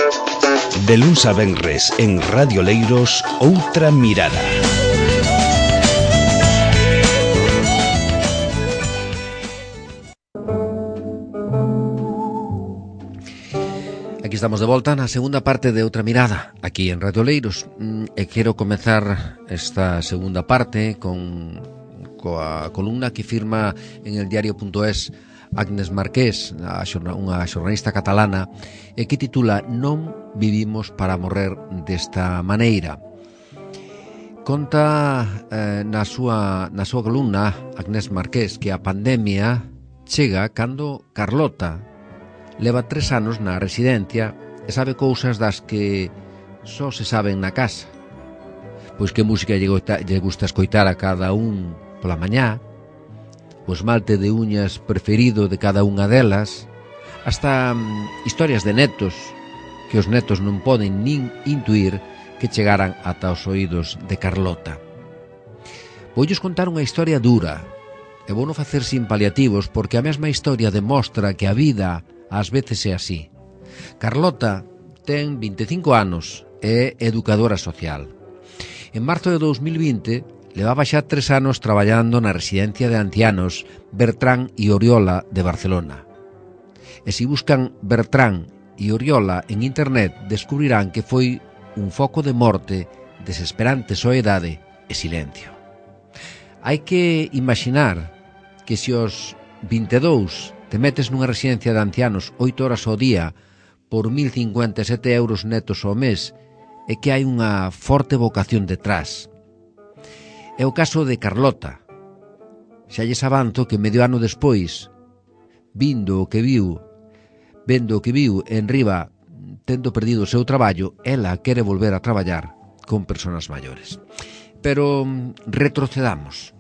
De luns a venres en Radio Leiros, Outra Mirada. Aquí estamos de volta na segunda parte de Outra Mirada, aquí en Radio Leiros. E quero comezar esta segunda parte coa columna que firma en el diario.es Agnes Marqués, unha xornalista catalana, e que titula "Non vivimos para morrer desta maneira". Conta na súa columna Agnes Marqués que a pandemia chega cando Carlota leva 3 anos na residencia e sabe cousas das que só se saben na casa. Pois que música lle gusta escoitar a cada un pola mañá, o esmalte de uñas preferido de cada unha delas, hasta historias de netos que os netos non poden nin intuir que chegaran ata os oídos de Carlota. Voulles contar unha historia dura e vouno facer sin paliativos porque a mesma historia demostra que a vida ás veces é así. Carlota ten 25 anos e é educadora social. En marzo de 2020 levaba xa 3 anos traballando na residencia de ancianos Bertrán e Oriola de Barcelona. E se buscan Bertrán e Oriola en internet descubrirán que foi un foco de morte, desesperante soedade e silencio. Hai que imaginar que se os 22 te metes nunha residencia de ancianos 8 horas ao día por 1.057 euros netos ao mes e que hai unha forte vocación detrás. É o caso de Carlota. Xa lles avanzo que medio ano despois, vendo o que viu en riba, tendo perdido o seu traballo, ela quere volver a traballar con persoas maiores. Pero retrocedamos.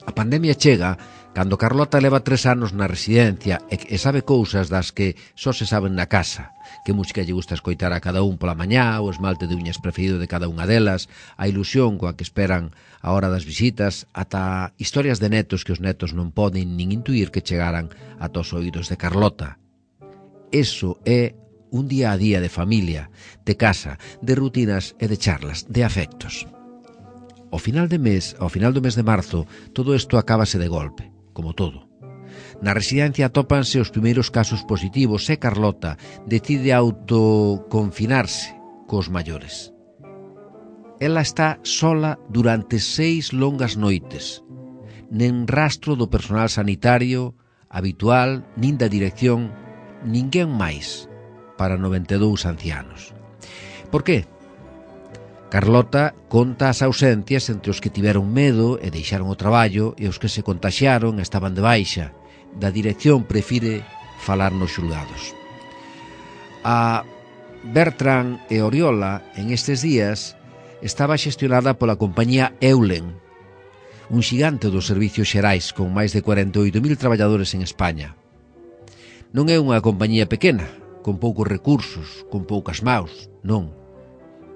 A pandemia chega cando Carlota leva 3 anos na residencia e sabe cousas das que só se saben na casa. Que música lle gusta escoitar a cada un pola mañá, o esmalte de uñas preferido de cada unha delas, a ilusión coa que esperan a hora das visitas, ata historias de netos que os netos non poden nin intuir que chegaran ata os oídos de Carlota. Eso é un día a día de familia, de casa, de rutinas e de charlas, de afectos. Ao final do mes de marzo, todo isto acábase de golpe, como todo. Na residencia atópanse os primeiros casos positivos e Carlota decide autoconfinarse cos maiores. Ela está sola durante 6 longas noites. Nen rastro do personal sanitario habitual, nin da dirección, ninguén máis para 92 ancianos. Por qué? Carlota conta as ausencias entre os que tiveron medo e deixaron o traballo e os que se contaxiaron e estaban de baixa. Da dirección prefire falar nos xulgados. A Bertrán e Oriola en estes días estaba xestionada pola compañía Eulen, un xigante dos servicios xerais con máis de 48.000 traballadores en España. Non é unha compañía pequena, con poucos recursos, con poucas maus, non.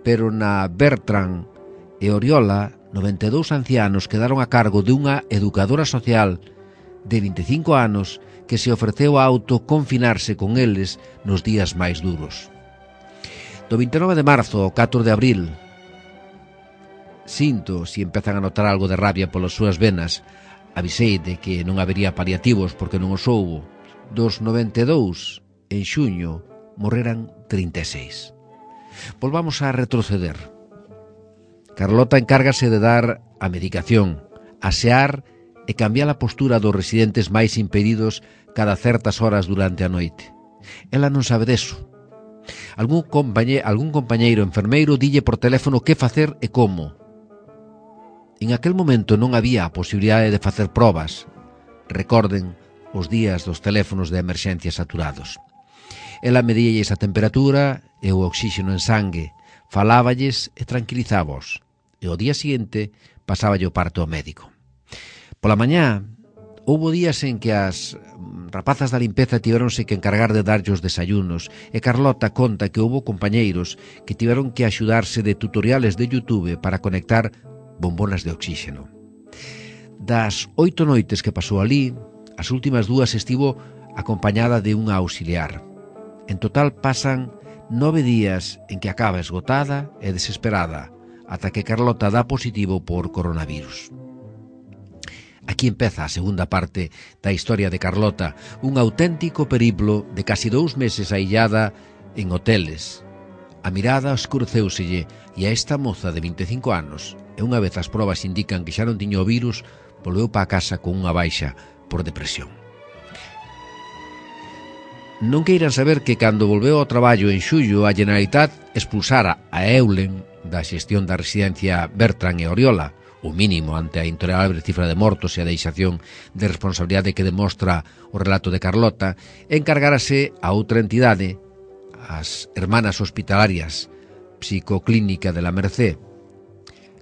Pero na Bertrán e Oriola, 92 ancianos quedaron a cargo de unha educadora social de 25 anos que se ofreceu a autoconfinarse con eles nos días máis duros. Do 29 de marzo ao 4 de abril, sinto se empezan a notar algo de rabia polas súas venas, avisei de que non habería paliativos porque non os houbo. Dos 92, en xuño, morreran 36. Volvamos a retroceder. Carlota encárgase de dar a medicación, asear e cambiar a postura dos residentes máis impedidos cada certas horas durante a noite. Ela non sabe deso. Algún compañeiro enfermeiro dille por teléfono que facer e como. En aquel momento non había a posibilidade de facer probas. Recorden os días dos teléfonos de emerxencia saturados. Ela medíalles a temperatura e o oxígeno en sangue, faláballes e tranquilizábaos. E ao día seguinte pasáballe o parte ao médico. Pola mañá, houbo días en que as rapazas da limpeza tiveronse que encargar de darlle os desayunos e Carlota conta que houbo compañeiros que tiveron que axudarse de tutoriales de YouTube para conectar bombonas de oxígeno. Das 8 noites que pasou ali, as últimas 2 estivo acompañada de unha auxiliar. En total pasan 9 días en que acaba esgotada e desesperada, ata que Carlota dá positivo por coronavirus. Aquí empeza a segunda parte da historia de Carlota, un auténtico periplo de casi 2 meses aillada en hoteles. A mirada escureceuselle e a esta moza de 25 anos, e unha vez as probas indican que xa non tiña o virus, volveu para a casa con unha baixa por depresión. Non queiran saber que cando volveu ao traballo en xullo a Generalitat expulsara a Eulen da xestión da residencia Bertran e Oriola, o mínimo ante a intolerable cifra de mortos e a deixación de responsabilidade que demostra o relato de Carlota, encargárase a outra entidade, as Hermanas Hospitalarias Psicoclínica de la Mercé.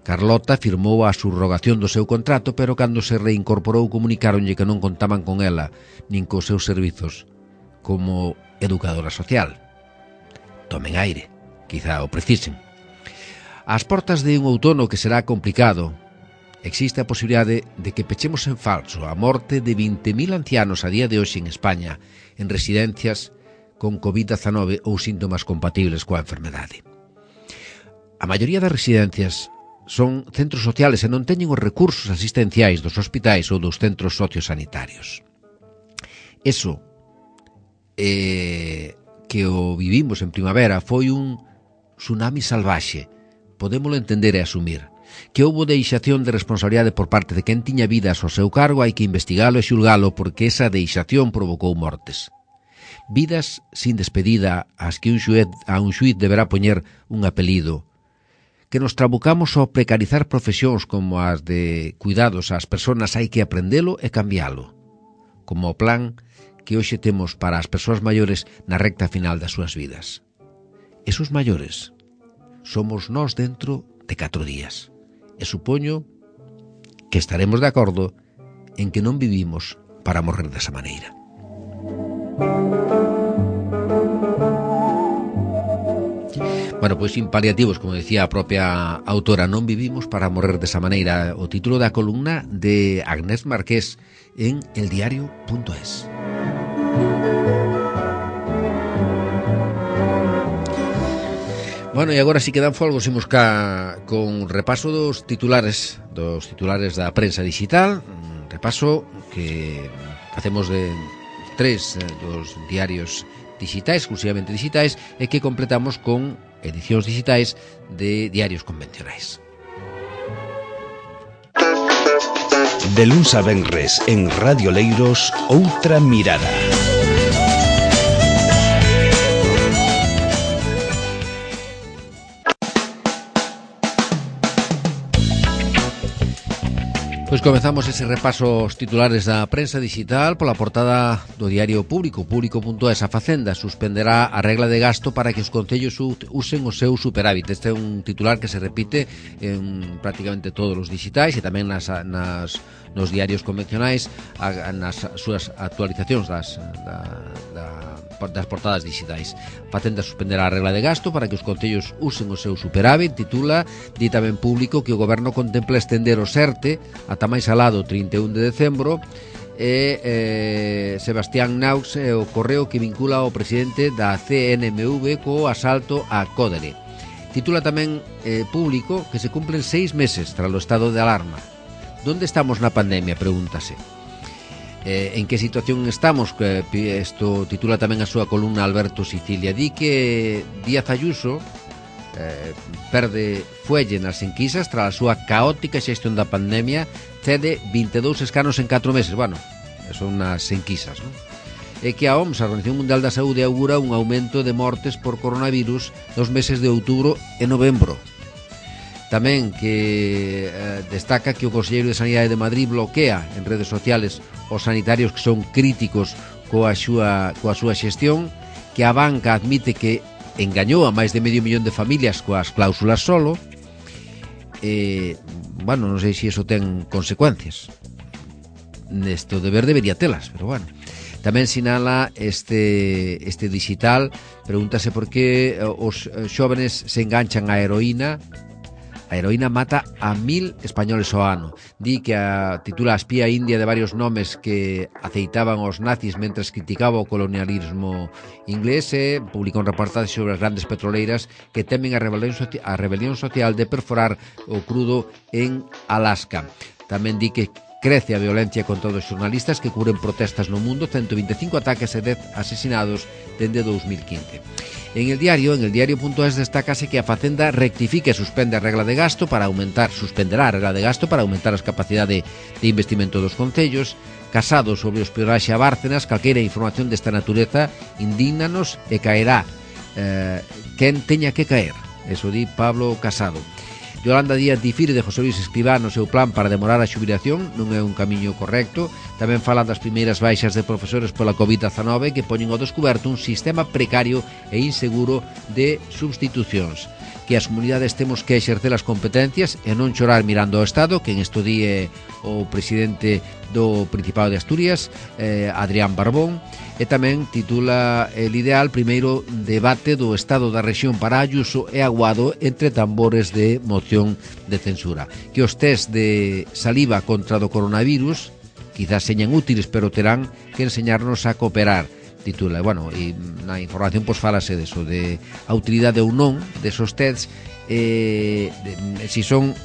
Carlota firmou a subrogación do seu contrato, pero cando se reincorporou comunicáronlle que non contaban con ela, nin cos seus servizos como educadora social. Tomen aire, quizá o precisen. Ás portas de un outono que será complicado, existe a posibilidade de que pechemos en falso a morte de 20.000 ancianos a día de hoxe en España, en residencias con COVID-19 ou síntomas compatibles coa enfermedade. A maioría das residencias son centros sociales e non teñen os recursos asistenciais dos hospitais ou dos centros sociosanitarios. Eso que o vivimos en primavera foi un tsunami salvaxe, podémolo entender e asumir. Que houbo deixación de responsabilidade por parte de quen tiña vidas ao seu cargo, hai que investigalo e xulgalo porque esa deixación provocou mortes. Vidas sin despedida ás que a un xuíz deberá poñer un apelido. Que nos trabucamos ao precarizar profesións como as de cuidados ás persoas, hai que aprendelo e cambialo. Como o plan que hoxe temos para as persoas maiores na recta final das súas vidas. Esos maiores somos nós dentro de 4 días. E supoño que estaremos de acordo en que non vivimos para morrer desa maneira. Bueno, pois sin paliativos, como decía a propia autora, non vivimos para morrer desa maneira. O título da columna de Agnès Marqués en eldiario.es. Bueno, e agora si quedan folgos imos con repaso dos titulares da prensa digital, un repaso que facemos de 3 dos diarios digitais, exclusivamente digitais, e que completamos con edicións digitais de diarios convencionais. De luns a venres en Radio Leiros, outra mirada. Pois comezamos ese repaso aos titulares da prensa digital pola portada do diario Público. Público.es. A Facenda suspenderá a regla de gasto para que os concellos usen o seu superávit. Este é un titular que se repite en prácticamente todos os digitais e tamén nos diarios convencionais, nas súas actualizacións das portadas digitais. Facenda suspenderá a regla de gasto para que os concellos usen o seu superávit, titula. Di tamén Público que o Goberno contempla estender o SERTE ata máis alado 31 de decembro e Sebastián Naux o correo que vincula ao presidente da CNMV co asalto a Códere. Titula tamén Público que se cumplen 6 meses tras o estado de alarma. Donde estamos na pandemia? Pregúntase. En que situación estamos? Isto titula tamén a súa columna Alberto Sicilia. Di que Díaz Ayuso perde fuelle nas enquisas tras a súa caótica xestión da pandemia, cede 22 escanos en 4 meses. Bueno, son nas enquisas, non? E que a OMS, a Organización Mundial da Saúde, augura un aumento de mortes por coronavirus nos meses de outubro e novembro. Tamén que destaca que o Conselleiro de Sanidade de Madrid bloquea en redes sociales os sanitarios que son críticos coa súa xestión, que a banca admite que engañou a máis de 500.000 de familias coas cláusulas solo. Bueno, non sei se iso ten consecuencias. Nesto debería telas, pero bueno. Tamén sinala este digital, pregúntase por que os xóvenes se enganchan á heroína A heroína mata a 1000 españoles ao ano. Di que titula a espía india de varios nomes que aceitaban os nazis mentres criticaba o colonialismo inglés e publicou un reportaxe sobre as grandes petroleiras que temen a rebelión social de perforar o crudo en Alaska. Tamén di que crece a violencia contra os xornalistas que cubren protestas no mundo, 125 ataques e 10 asesinados dende 2015. En el diario.es destácase que a Facenda rectifique e suspenderá a regla de gasto para aumentar as capacidades de investimento dos concellos. Casado sobre o espionaxe a Bárcenas, calquera información desta natureza indígnanos e caerá quen teña que caer. Eso di Pablo Casado. Yolanda Díaz difire de José Luis Escrivá no seu plan para demorar a xubilación, non é un camiño correcto. Tamén falan das primeiras baixas de profesores pola COVID-19 que poñen ao descoberto un sistema precario e inseguro de substitucións. Que as comunidades temos que exercer as competencias e non chorar mirando ao Estado, que en isto di o presidente do Principado de Asturias, Adrián Barbón. E tamén titula El ideal, primeiro debate do estado da rexión para Ayuso e Aguado entre tambores de moción de censura. Que os test de saliva contra do coronavirus quizás señan útiles, pero terán que enseñarnos a cooperar. Titula, e na información falase deso, de a utilidade ou non desos tests, si son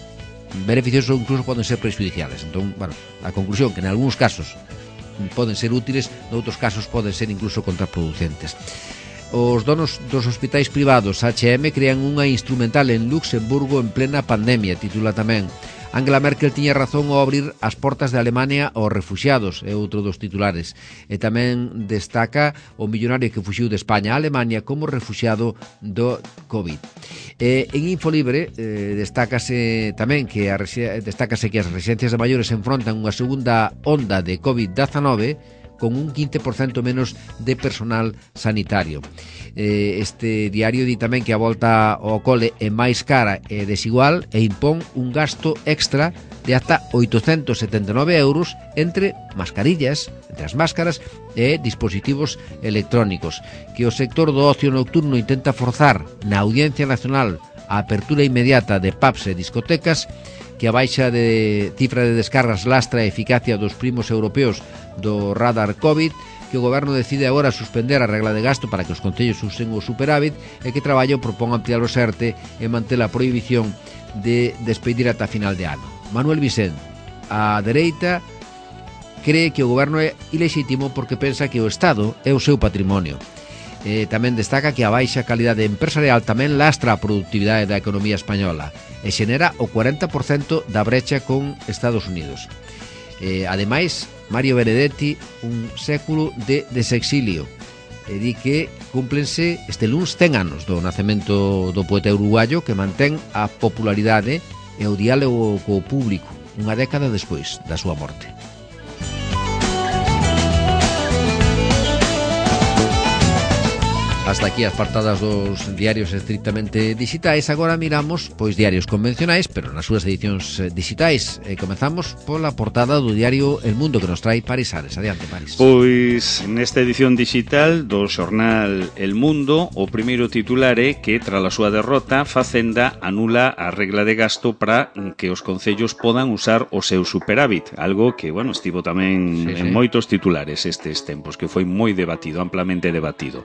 beneficiosos ou incluso poden ser prejudiciales. Entón, a conclusión que en algúns casos poden ser útiles, noutros casos poden ser incluso contraproducentes. Os donos dos hospitais privados H&M crean unha instrumental en Luxemburgo en plena pandemia, titula tamén. Angela Merkel tiña razón ao abrir as portas de Alemania aos refuxiados, é outro dos titulares. E tamén destaca o millonario que fuxiu de España a Alemania como refuxiado do COVID. En Infolibre destácase tamén que as residencias de maiores enfrontan unha segunda onda de COVID-19 con un 15% menos de personal sanitario. Este diario di tamén que a volta ao cole é máis cara e desigual e impón un gasto extra de ata 879 euros entre mascarillas, entre as máscaras e dispositivos electrónicos. Que o sector do ocio nocturno intenta forzar na Audiencia Nacional a apertura inmediata de pubs e discotecas, que a baixa de cifra de descargas lastra a eficacia dos primos europeos do radar COVID, que o goberno decide agora suspender a regla de gasto para que os concellos usen o superávit e que Traballo propón ampliar o SERTE e manter a prohibición de despedir ata final de ano. Manuel Vicente, a dereita, cree que o goberno é ilexítimo porque pensa que o Estado é o seu patrimonio. Tamén destaca que a baixa calidade empresarial tamén lastra a productividade da economía española e xenera o 40% da brecha con Estados Unidos. Ademais, Mario Benedetti, un século de desexilio, e di que cúmplense este luns 100 anos do nacemento do poeta uruguayo que mantén a popularidade e o diálogo co público unha década despois da súa morte. Hasta aquí as portadas dos diarios estrictamente digitais. Agora miramos diarios convencionais, pero nas súas edicións digitais. Comezamos pola portada do diario El Mundo, que nos trae Paris Ares. Adiante, Paris. Pois nesta edición digital do xornal El Mundo, o primeiro titular é que tras a súa derrota, Facenda anula a regla de gasto para que os concellos podan usar o seu superávit, algo que, estivo tamén en moitos titulares estes tempos, que foi moi debatido, amplamente debatido.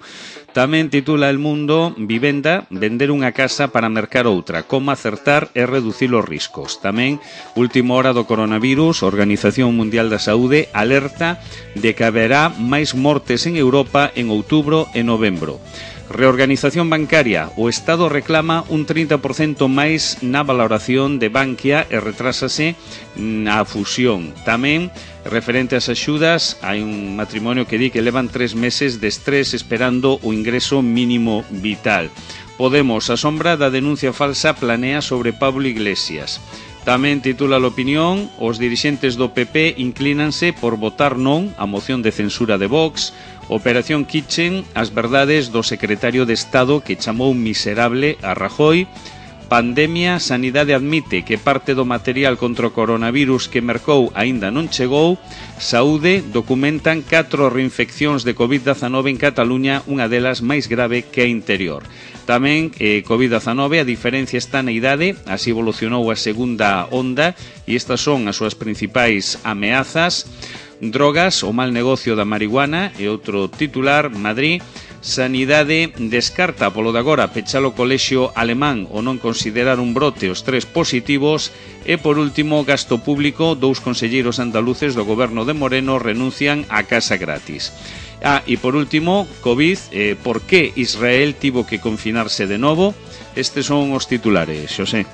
Tamén titula El Mundo, vivenda, vender unha casa para mercar outra, como acertar e reducir os riscos. Tamén, última hora do coronavirus, Organización Mundial da Saúde alerta de que haberá máis mortes en Europa en outubro e novembro. Reorganización bancaria, o Estado reclama un 30% máis na valoración de Bankia e retrásase na fusión. Tamén, referente ás axudas, hai un matrimonio que di que levan 3 meses de estrés esperando o ingreso mínimo vital. Podemos, a sombra da denuncia falsa, planea sobre Pablo Iglesias. Tamén titula a opinión, os dirixentes do PP inclínanse por votar non a moción de censura de Vox. Operación Kitchen, as verdades do secretario de Estado que chamou miserable a Rajoy. Pandemia, Sanidade admite que parte do material contra o coronavirus que mercou aínda non chegou. Saúde, documentan 4 reinfeccións de COVID-19 en Cataluña, unha delas máis grave que a interior. Tamén COVID-19, a diferencia está na idade, así evolucionou a segunda onda e estas son as súas principais ameazas. Drogas, o mal negocio da marihuana e outro titular. Madrid, Sanidade descarta polo de agora pechar o colexio alemán o non considerar un brote os 3 positivos. E por último, gasto público, 2 conselleiros andaluces do goberno de Moreno renuncian a casa gratis. E por último, COVID, por que Israel tivo que confinarse de novo? Estes son os titulares, Xosé.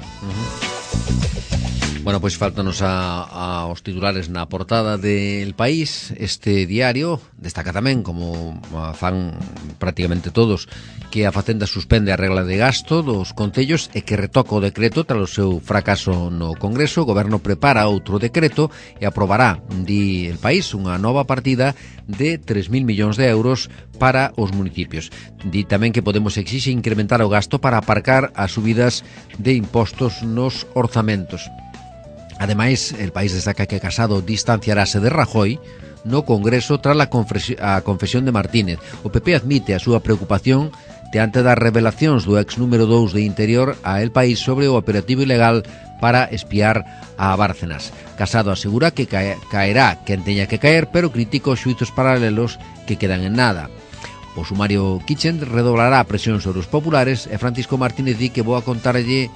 Bueno, pois faltanos aos titulares na portada del País. Este diario destaca tamén, como fan prácticamente todos, que a Facenda suspende a regla de gasto dos concellos e que retoca o decreto tras o seu fracaso no Congreso. O Goberno prepara outro decreto e aprobará, di El País, unha nova partida de 3.000 millóns de euros para os municipios. Di tamén que Podemos exixe incrementar o gasto para aparcar as subidas de impostos nos orzamentos. Ademais, El País destaca que Casado distanciarase de Rajoy no Congreso tras a confesión de Martínez. O PP admite a súa preocupación diante das revelacións do ex número 2 de Interior a El País sobre o operativo ilegal para espiar a Bárcenas. Casado asegura que caerá quen teña que caer, pero critica os xuizos paralelos que quedan en nada. O sumario Kitchen redoblará a presión sobre os populares e Francisco Martínez di que voa contarlle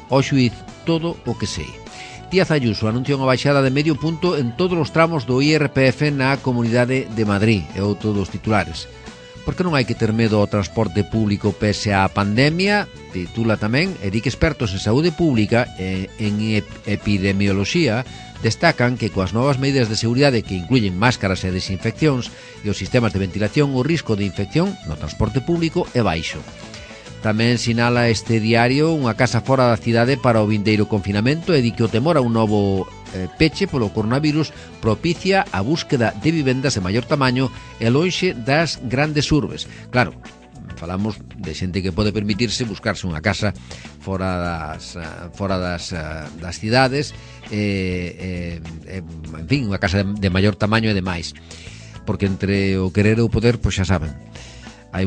ao xuiz todo o que sei. Díaz Ayuso anuncia unha baixada de medio punto en todos os tramos do IRPF na Comunidade de Madrid, é outro dos titulares. Por que non hai que ter medo ao transporte público pese á pandemia? Titula tamén, e di que expertos en saúde pública e en epidemioloxía destacan que coas novas medidas de seguridade que incluyen máscaras e desinfeccións e os sistemas de ventilación, o risco de infección no transporte público é baixo. Tamén sinala este diario unha casa fora da cidade para o vindeiro confinamento e di que o temor a un novo peche polo coronavirus propicia a búsqueda de vivendas de maior tamaño e lonxe das grandes urbes. Claro, falamos de xente que pode permitirse buscarse unha casa fora das cidades, en fin, unha casa de maior tamaño e demais. Porque entre o querer e o poder, pois xa saben, hai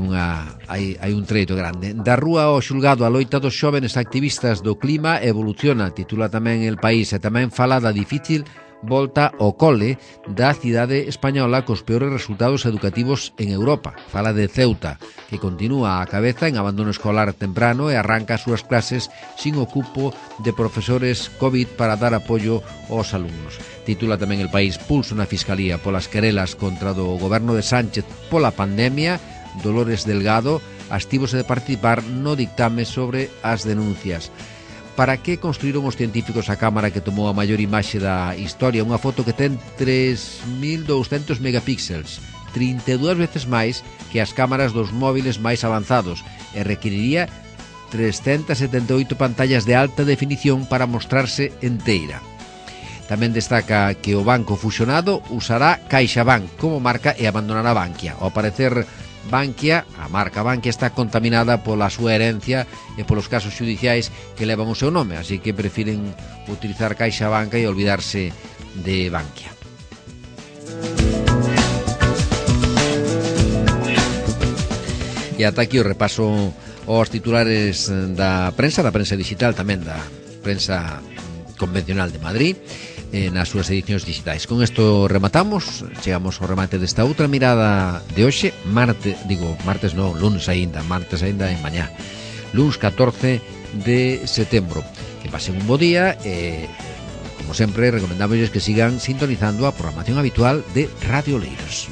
un treito grande. Da rúa ao xulgado, a loita dos xóvenes activistas do clima evoluciona, titula tamén El País, e tamén fala da difícil volta ao cole da cidade española cos peores resultados educativos en Europa. Fala de Ceuta, que continúa a cabeza en abandono escolar temprano e arranca as súas clases sin o cupo de profesores COVID para dar apoio aos alumnos. Titula tamén El País, pulso na Fiscalía polas querelas contra do goberno de Sánchez pola pandemia. Dolores Delgado abstívose de participar no dictame sobre as denuncias. Para que construíron os científicos a cámara que tomou a maior imaxe da historia? Unha foto que ten 3.200 megapíxeles, 32 veces máis que as cámaras dos móviles máis avanzados, e requeriría 378 pantallas de alta definición para mostrarse enteira. Tamén destaca que o banco fusionado usará CaixaBank como marca e abandonará Bankia. Ao parecer, Bankia, a marca Bankia, está contaminada pola súa herencia e polos casos xudiciais que levan o seu nome, así que prefiren utilizar CaixaBank e olvidarse de Bankia. E ata aquí o repaso aos titulares da prensa digital, tamén da prensa convencional de Madrid, nas súas edicións digitais. Con isto rematamos, chegamos ao remate desta outra mirada de hoxe, lunes aínda en mañá, lunes 14 de setembro. Que pasen un bo día e, como sempre, recomendamos que sigan sintonizando a programación habitual de Radio Leiros.